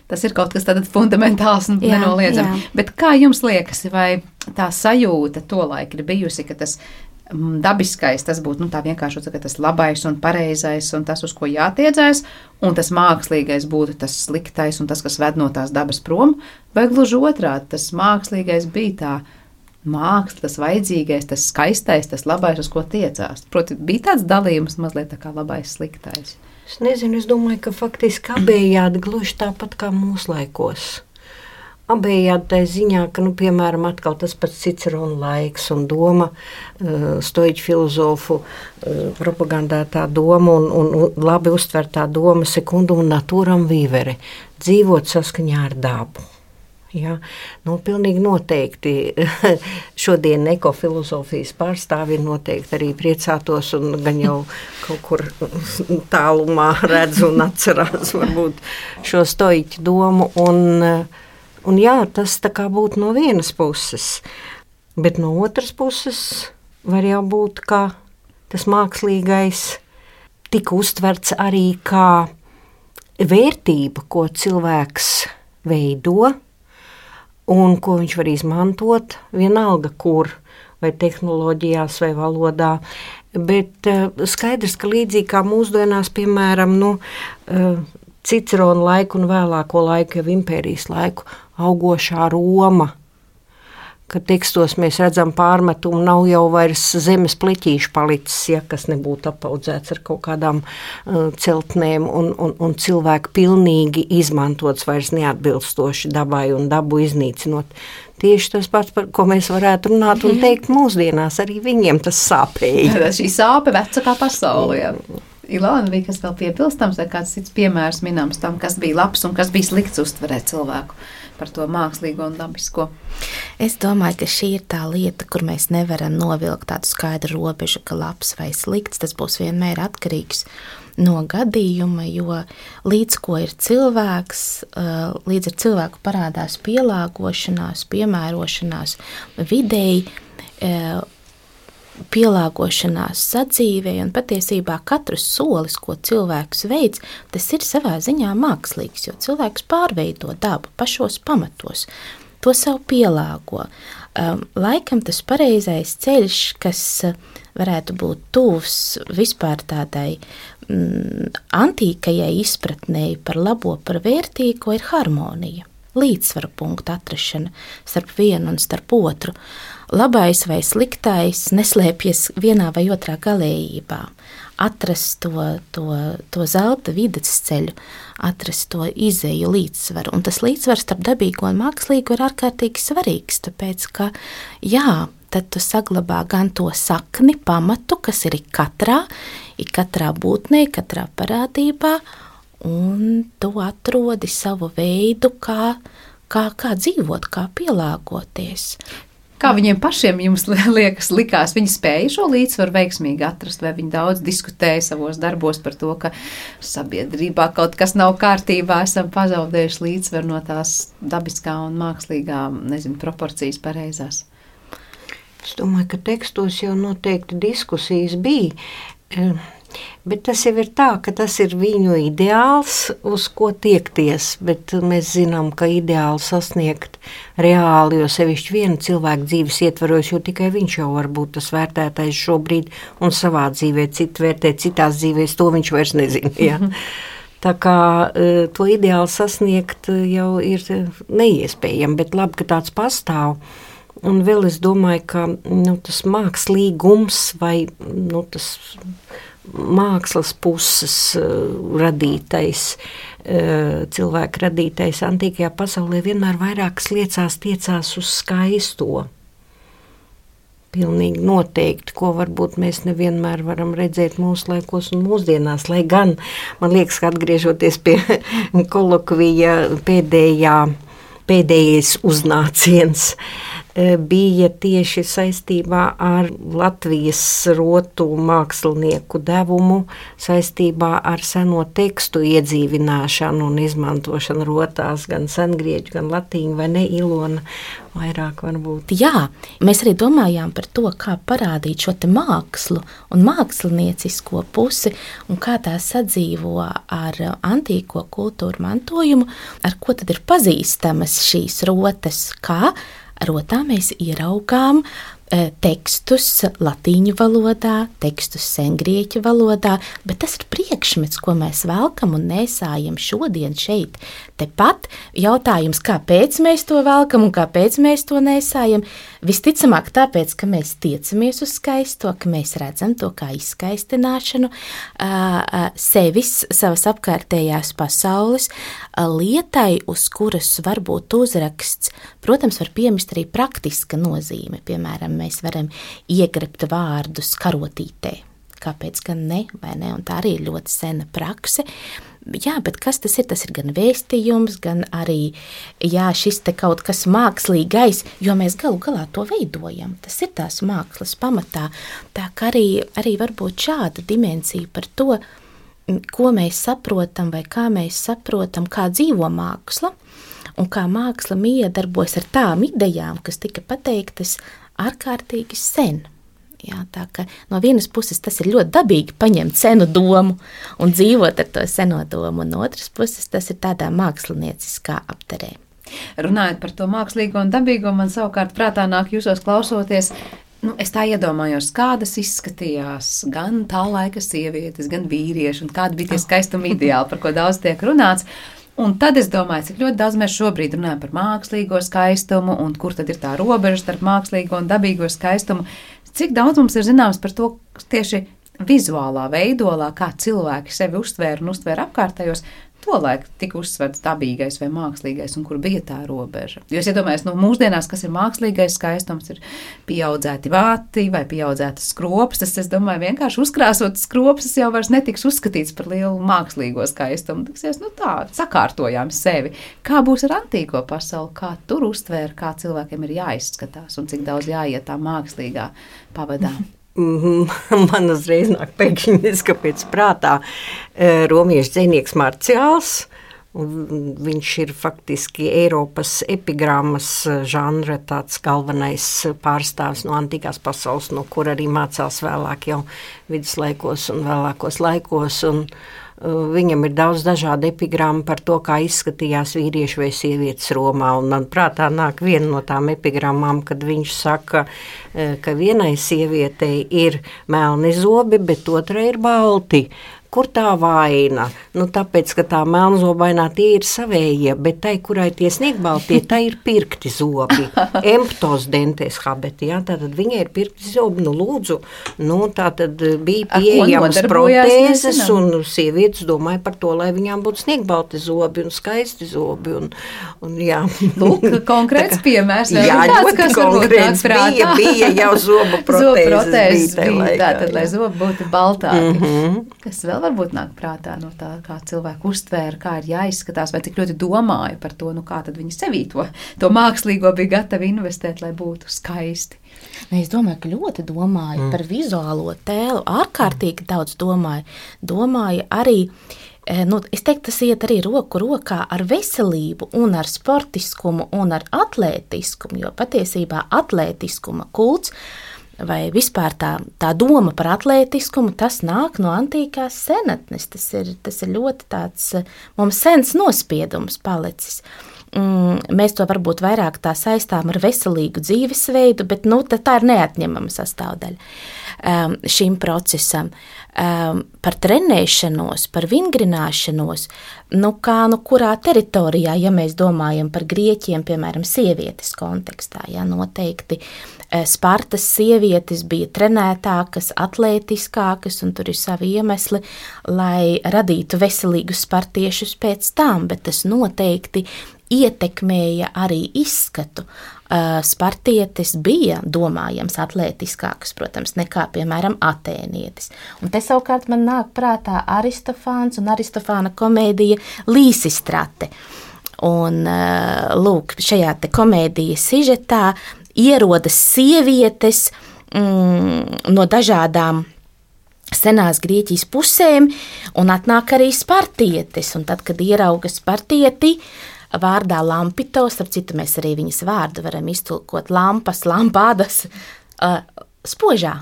Tas ir kaut kas tāds fundamentāls un Jā, nenoliedzami. jā. Bet kā jums liekas, vai tā sajūta tolaik ir bijusi, ka tas mm, dabiskais, tas būtu nu, tā vienkārši, ka tas labais un pareizais un tas, uz ko jātiedzās, un tas mākslīgais būtu tas sliktais un tas, kas ved no tās dabas prom, vai gluži otrādi, tas mākslīgais bija tā māksla, tas vajadzīgais, tas skaistais, tas labais, uz ko tiecās. Proti, bija tāds dalījums mazliet tā kā labais, sliktais. Es nezinu, es domāju, ka faktiski abējādi gluži tāpat kā mūsu laikos. Abējādi tai ziņā, ka, nu, piemēram, atkal tas pats Cicerona laiks un doma, uh, stoiķu filozofu uh, propagandētā doma un, un, un labi uztvertā doma secundum naturam vivere, dzīvot saskaņā ar dabu. Ja, nu, pilnīgi noteikti šodien ekofilozofijas pārstāvi noteikti arī priecātos un gan jau kaut kur tālumā redz un atcerās varbūt šo stoiķu domu. Un, un jā, tas tā kā būtu no vienas puses, bet no otras puses var jau būt, ka tas mākslīgais tika uztverts arī kā vērtība, ko cilvēks veido, un ko viņš var izmantot, vienalga kur, vai tehnoloģijās, vai valodā. Bet uh, skaidrs, ka līdzīgi kā mūsdienās, piemēram, nu, uh, Cicerona laiku un vēlāko laiku, jau impērijas laiku, augošā Roma, ka tekstos mēs redzam pārmetumu, nav jau vairs zemes pleķīšu palicis, ja, kas nebūtu apaudzēts ar kaut kādām uh, celtnēm un, un, un cilvēku pilnīgi izmantots vairs neatbilstoši dabai un dabu iznīcinot. Tieši tas pats, par ko mēs varētu runāt un teikt mūsdienās, arī viņiem tas sāpēja. Šī sāpe veca kā pasaule, jā. Ilona, bija kas vēl piebilstams, vai kāds cits piemērs minams tam, kas bija labs un kas bija slikts uztverēt cilvēku par to mākslīgo un dabisko? Es domāju, ka šī ir tā lieta, kur mēs nevaram novilkt tādu skaidru robežu, ka labs vai slikts, tas būs vienmēr atkarīgs no gadījuma, jo līdz ko ir cilvēks, līdz ar cilvēku parādās pielāgošanās, piemērošanās videi, pielāgošanās sadzīvei, un patiesībā katrs solis, ko cilvēks veids, tas ir savā ziņā mākslīgs, jo cilvēks pārveido dabu pašos pamatos, to sev pielāgo. Laikam tas pareizais ceļš, kas varētu būt tuvs vispār tādai mm, antīkajai izpratnei par labo, par vērtīgo, ir harmonija, līdzsvara punkta atrašana starp vienu un starp otru. Labais vai sliktais neslēpjas vienā vai otrā galējībā. Atrast to, to, to zelta vidusceļu, atrast to izeju līdzsvaru. Un tas līdzsvars starp dabīgo un mākslīgo ir ārkārtīgi svarīgs, tāpēc, ka jā, tad tu saglabā gan to sakni, pamatu, kas ir katrā, ir katrā būtnē, katrā parādībā, un tu atrodi savu veidu, kā, kā, kā dzīvot, kā pielāgoties. Kā viņiem pašiem jums liekas, likās, viņi spēja šo līdzsvaru veiksmīgi atrast, vai viņi daudz diskutēja savos darbos par to, ka sabiedrībā kaut kas nav kārtībā, esam pazaudējuši līdzsvaru no tās dabiskā un mākslīgā, nezinu, proporcijas pareizās? Es domāju, ka tekstos jau noteikti diskusijas bija. Bet tas jau ir tā, ka tas ir viņu ideāls, uz ko tiekties, bet mēs zinām, ka ideāli sasniegt reāli, jo sevišķi viena cilvēka dzīves ietvaros, jo tikai viņš jau var būt tas vērtētais šobrīd un savā dzīvē, citu vērtē citās dzīvēs, to viņš vairs nezina. Ja? Tā kā to ideāli sasniegt jau ir neiespējami, bet labi, ka tāds pastāv. Un vēl es domāju, ka nu, tas mākslīgums vai nu, tas mākslas puses uh, radītais, uh, cilvēka radītais antīkajā pasaulē vienmēr vairākas liecās tiecās uz skaisto. Pilnīgi noteikti, ko varbūt mēs nevienmēr varam redzēt mūsu laikos un mūsdienās, lai gan, man liekas, ka atgriežoties pie kolokvija pēdējā, pēdējais uznāciens bija tieši saistībā ar Latvijas rotu mākslinieku devumu, saistībā ar seno tekstu iedzīvināšanu un izmantošanu rotās, gan sengrieķu, gan latīņu, vai ne, Ilona, vairāk varbūt. Jā, mēs arī domājām par to, kā parādīt šo te mākslu un māksliniecisko pusi un kā tā sadzīvo ar antīko kultūru mantojumu, ar ko tad ir pazīstamas šīs rotas, kā rotā mēs ieraugām e, tekstus latīņu valodā, tekstus sengrieķu valodā, bet tas ir priekšmets, ko mēs velkam un nesājam šodien šeit. Tepat jautājums, kāpēc mēs to velkam un kāpēc mēs to nesājam, visticamāk tāpēc, ka mēs tiecamies uz skaisto, ka mēs redzam to kā izskaistināšanu sevis, savas apkārtējās pasaules lietai, uz kuras varbūt uzraksts, protams, var piemist arī praktiska nozīme, piemēram, mēs varam iegrebt vārdus karotītē. Kāpēc gan ne, vai ne? Un tā arī ir ļoti sena prakse. Jā, bet kas tas ir? Tas ir gan vēstījums, gan arī, jā, šis te kaut kas mākslīgais, jo mēs galu galā to veidojam. Tas ir tās mākslas pamatā. Tā kā arī, arī varbūt šāda dimensija par to, ko mēs saprotam vai kā mēs saprotam, kā dzīvo māksla un kā māksla miedarbojas ar tām idejām, kas tika pateiktas ārkārtīgi sen. Jā, tā ka no vienas puses tas ir ļoti dabīgi paņemt senu domu un dzīvot ar to seno domu, un no otras puses tas ir tādā mākslinieciskā apterē. Runājot par to mākslīgo un dabīgo, man savukārt prātā nāk jūsos klausoties, nu, es tā iedomājos, kādas izskatījās gan tā laika sievietes, gan vīrieši, un kādi bija tie skaistuma ideāli, par ko daudz tiek runāts. Un tad es domāju, cik ļoti daudz mēs šobrīd runājam par mākslīgo skaistumu, un kur tad ir tā robeža starp mākslīgo un dabīgo skaistumu. Cik daudz mums ir zināms par to tieši vizuālā veidolā, kā cilvēki sevi uztvēra un uztvēra apkārtējos, tolaik tika uzsverts dabīgais vai mākslīgais, un kur bija tā robeža. Jo es iedomājos, no mūsdienās, kas ir mākslīgais skaistums, ir pieaudzēti vāti vai pieaudzētas skropstas. Es domāju, vienkārši uzkrāsotas skropstas jau vairs netiks uzskatīts par lielu mākslīgo skaistumu. Tiksies, nu tā, sakārtojām sevi. Kā būs ar antīko pasauli, kā tur uztvēra, kā cilvēkiem ir jāizskatās un cik daudz jāiet tā mākslīgā pavadā. Man uzreiz nāk pēkšņi izkapēc prātā romiešu dzejnieks Marciāls. Viņš ir faktiski Eiropas epigrammas žanra tāds galvenais pārstāvs no antīkās pasaules, no kur arī mācās vēlāk jau viduslaikos un vēlākos laikos. Un viņam ir daudz dažādu epigrammu par to, kā izskatījās vīrieši vai sievietes Romā. Un man prātā nāk viena no tām epigrammām, kad viņš saka, ka vienai sievietei ir melni zobi, bet otrai ir balti. Kur tā vaina? Nu, tāpēc, ka tā melnzobainā tie ir savējie, bet tai, kurai tie sniegbaltie, tai ir pirkti zobi. Emptos dentes habeti, jā, tātad viņai ir pirkti zobi, nu lūdzu, nu, tātad bija pieejams protēzes, un sievietes domāja par to, lai viņām būtu sniegbalti zobi un skaisti zobi, un, un jā. Lūk, konkrēts piemērs. Jā, ļoti konkrēts bija, bija jau zobu protēzes. Zobu protēzes bija, bija tātad, lai zobi būtu baltāki. Mm-hmm. Kas vēl varbūt nāk prātā no tā, kā cilvēku uztvēra, kā ir jāizskatās, vai cik ļoti domāja par to, nu kā tad viņi sevī to, to mākslīgo bija gatavi investēt, lai būtu skaisti. Es domāju, ka ļoti domāju mm. par vizuālo tēlu, ārkārtīgi daudz domāju. Domāju arī, nu, es teiktu, tas iet arī roku rokā ar veselību un ar sportiskumu un ar atlētiskumu, jo patiesībā atlētiskuma kults vai vispār tā, tā doma par atlētiskumu, tas nāk no antīkās senatnes. Tas ir, tas ir ļoti tāds mums sens nospiedums palicis. Mm, mēs to varbūt vairāk tā saistām ar veselīgu dzīvesveidu, bet nu, tā ir neatņemama sastāvdaļa um, šim procesam. Um, par trenēšanos, par vingrināšanos, nu kā, nu kurā teritorijā, ja mēs domājam par grieķiem, piemēram, sievietes kontekstā, ja noteikti Spartas sievietes bija trenētākas, atlētiskākas, un tur ir savi iemesli, lai radītu veselīgus spartiešus pēc tam, bet tas noteikti ietekmēja arī izskatu. Spartietis bija domājams atlētiskāks, protams, nekā, piemēram, atēnietis. Un te savukārt man nāk prātā Aristofāns un Aristofāna komēdija Līsistrate. Un, lūk, šajā te komēdijas sižetā ierodas sievietes mm, no dažādām senās Grieķijas pusēm, un atnāk arī Spartietis. Un tad, kad ierauga Spartieti, vārdā Lampitos, starp citu mēs arī viņas vārdu varam iztulkot lampas, lampādas, uh, spožā.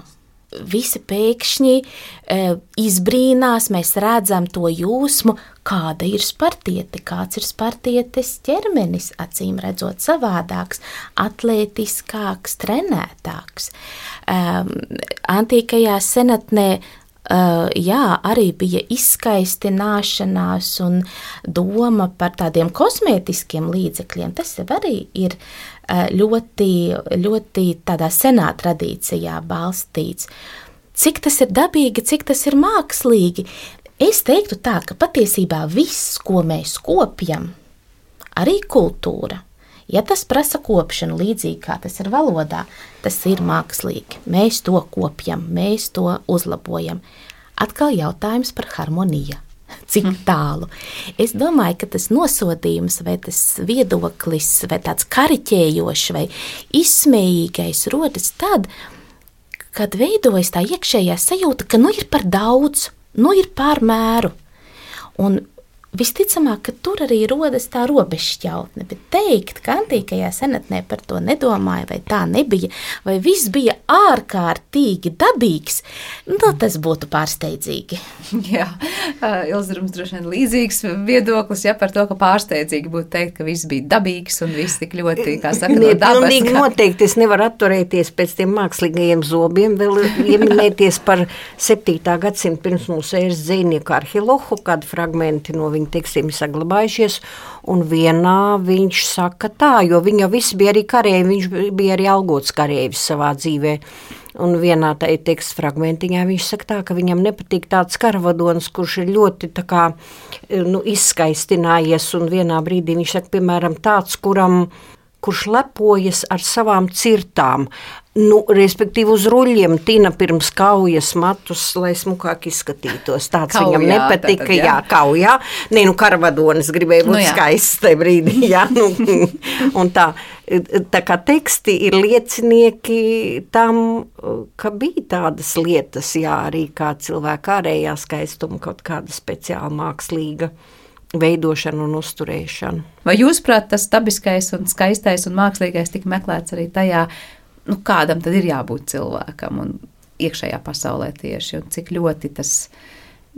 Visi pēkšņi uh, izbrīnās, mēs redzam to jūsmu, kāda ir Spartiete, kāds ir Spartietes ķermenis, acīm redzot savādāks, atlētiskāks, trenētāks. Um, antīkajā senatnē Uh, jā, arī bija izskaistināšanās un doma par tādiem kosmētiskiem līdzekļiem. Tas jau arī ir uh, ļoti, ļoti tādā senā tradīcijā balstīts. Cik tas ir dabīgi, cik tas ir mākslīgi? Es teiktu tā, ka patiesībā viss, ko mēs kopjam, arī kultūra, ja tas prasa kopšanu līdzīgi kā tas ir valodā, tas ir mākslīgi. Mēs to kopjam, mēs to uzlabojam. Atkal jautājums par harmoniju. Cik tālu? Es domāju, ka tas nosodījums vai tas viedoklis vai tāds kariķējošs vai izsmējīgais rodas tad, kad veidojas tā iekšējā sajūta, ka nu ir par daudz, nu ir pār mēru. Un visticamāk, ka tur arī rodas tā robežšķautne, bet teikt, ka antīkajā senatnē par to nedomāja, vai tā nebija, vai viss bija ārkārtīgi dabīgs, nu, tas būtu pārsteidzīgi. Jā, Ilzarums droši vien līdzīgs viedoklis, ja par to, ka pārsteidzīgi būtu teikt, ka viss bija dabīgs un viss tik ļoti, kā saka, no dabas. Pilnīgi kā... noteikti es nevaru atturēties pēc tiem mākslīgajiem zobiem, vēl ieminēties par septītā gadsimta pirms mūsu ēras dzīvnieku Arhilohu, kādi fragmenti no viņa tekstiem saglabājušies, un vienā viņš saka tā, jo viņi jau visi bija arī karēji, viņš bija arī algots karējis savā dzīvē, un vienā tā teksta fragmentiņā viņš saka tā, ka viņam nepatīk tāds karavadons, kurš ir ļoti tā kā, nu, izskaistinājies, un vienā brīdī viņš saka, piemēram, tāds, kuram, kurš lepojas ar savām cirtām, nu, respektīvi uz ruļiem tina pirms kaujas matus, lai smukāk izskatītos. Tāds kaujā, viņam nepatika, tātad, jā. jā, kaujā. Nē, nu, karavadonis gribēja būt nu, skaists tajā brīdī, jā. Nu, un tā, tā kā teksti ir liecinieki tam, ka bija tādas lietas, jā, arī kā cilvēka ārējā skaistuma, kaut kāda speciāla mākslīga veidošana un uzturēšana. Vai jūsprāt, tas dabiskais un skaistais un mākslīgais tika meklēts arī tajā, nu, kādam tad ir jābūt cilvēkam un iekšējā pasaulē tieši, un cik ļoti tas,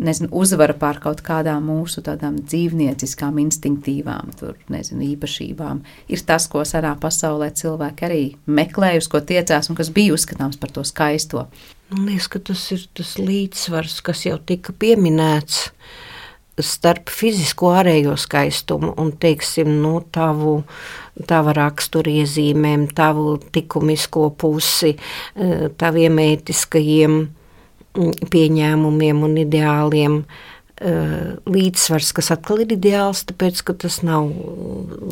nezinu, uzvara pār kaut kādām mūsu tādām dzīvnieciskām, instinktīvām, tur, nezinu, īpašībām, ir tas, ko senā pasaulē cilvēki arī meklēja, uz ko tiecās un kas bija uzskatāms par to skaisto. Man liekas, ka tas ir tas līdzsvars, kas jau tika pieminēts starp fizisko ārējo skaistumu un, teiksim, nu, tavu, tava raksturiezīmēm, tavu likumisko pusi, taviem ētiskajiem pieņēmumiem un ideāliem. Līdzsvars, kas atkal ir ideāls, tāpēc, ka tas nav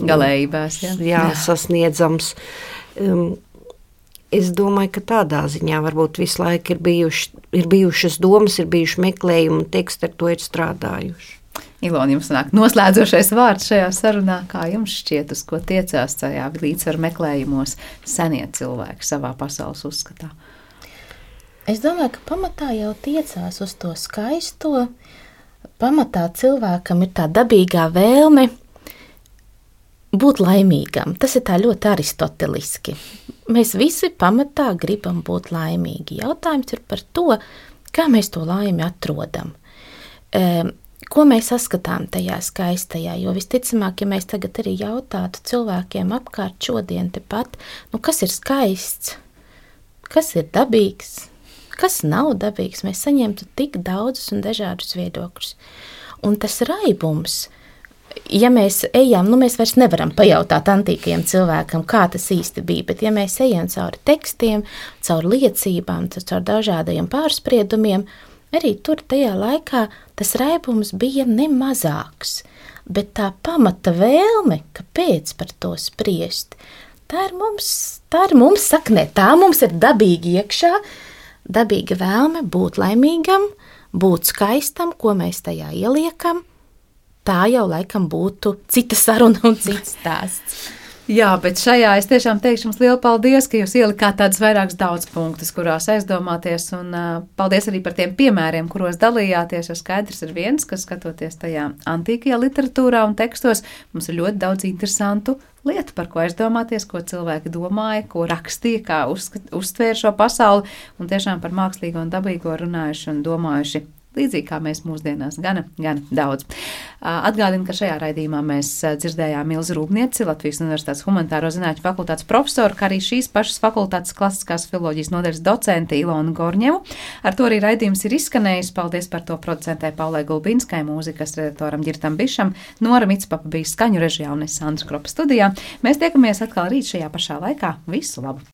galējībās, jā. Jā, sasniedzams. Es domāju, ka tādā ziņā varbūt visu laiku ir, bijuši, ir bijušas domas, ir bijuši meklējumi un teksti ar to ir strādājuši. Ilona, jums nāk noslēdzošais vārds šajā sarunā, kā jums šķiet, uz ko tiecās tajā līdzsvaru meklējumos senie cilvēki savā pasaules uzskatā? Es domāju, ka pamatā jau tiecās uz to skaisto, pamatā cilvēkam ir tā dabīgā vēlme būt laimīgam. Tas ir tā ļoti aristoteliski. Mēs visi pamatā gribam būt laimīgi. Jautājums ir par to, kā mēs to laimi atrodam. E, ko mēs saskatām tajā skaistajā, jo visticamāk, ja mēs tagad arī jautātu cilvēkiem apkārt šodien tepat, nu kas ir skaists, kas ir dabīgs, kas nav dabīgs, mēs saņemtu tik daudzus un dažādus viedokļus. Un tas raibums, ja mēs ejam, nu mēs vairs nevaram pajautāt antīkajam cilvēkam, kā tas īsti bija, bet ja mēs ejam cauri tekstiem, cauri liecībām, cauri dažādajiem pārspriedumiem, arī tur tajā laikā tas raibums bija nemazāks, bet tā pamata vēlme, kāpēc par to spriest, tā ir mums, tā ir mums saknē, tā mums ir dabīgi iekšā, dabīga vēlme būt laimīgam, būt skaistam, ko mēs tajā ieliekam. Tā jau laikam būtu cita saruna un cits stāsts. Jā, bet šajā es tiešām teikšu jums lielu paldies, ka jūs ielikāt tādus vairākus daudz punktus, kurās aizdomāties, un uh, paldies arī par tiem piemēriem, kuros dalījāties, jo skaidrs ir viens, ka skatoties tajā antīkajā literatūrā un tekstos, mums ir ļoti daudz interesantu lietu, par ko aizdomāties, ko cilvēki domāja, ko rakstīja, kā uzskat, uztvēra šo pasauli, un tiešām par mākslīgo un dabīgo runājuši un domājuši. Līdzīgi kā mēs mūsdienās, gana, gana daudz. Atgādinu, ka šajā raidījumā mēs dzirdējām Ilzi Rūpnieci, Latvijas Universitātes humanitāro zinātņu fakultātes profesoru, kā arī šīs pašas fakultātes klasiskās filoloģijas nodaļas docenti Ilonu Gorņevu. Ar to arī raidījums ir izskanējis. Paldies par to producentē Paulai Gulbinskai, mūzikas redaktoram Ģirtam Bišam, Nora Mitspapa bija skaņu režijā un es Sandra Kropa studijā. Mēs tiekamies atkal rīt šajā pašā laikā. Visu labu!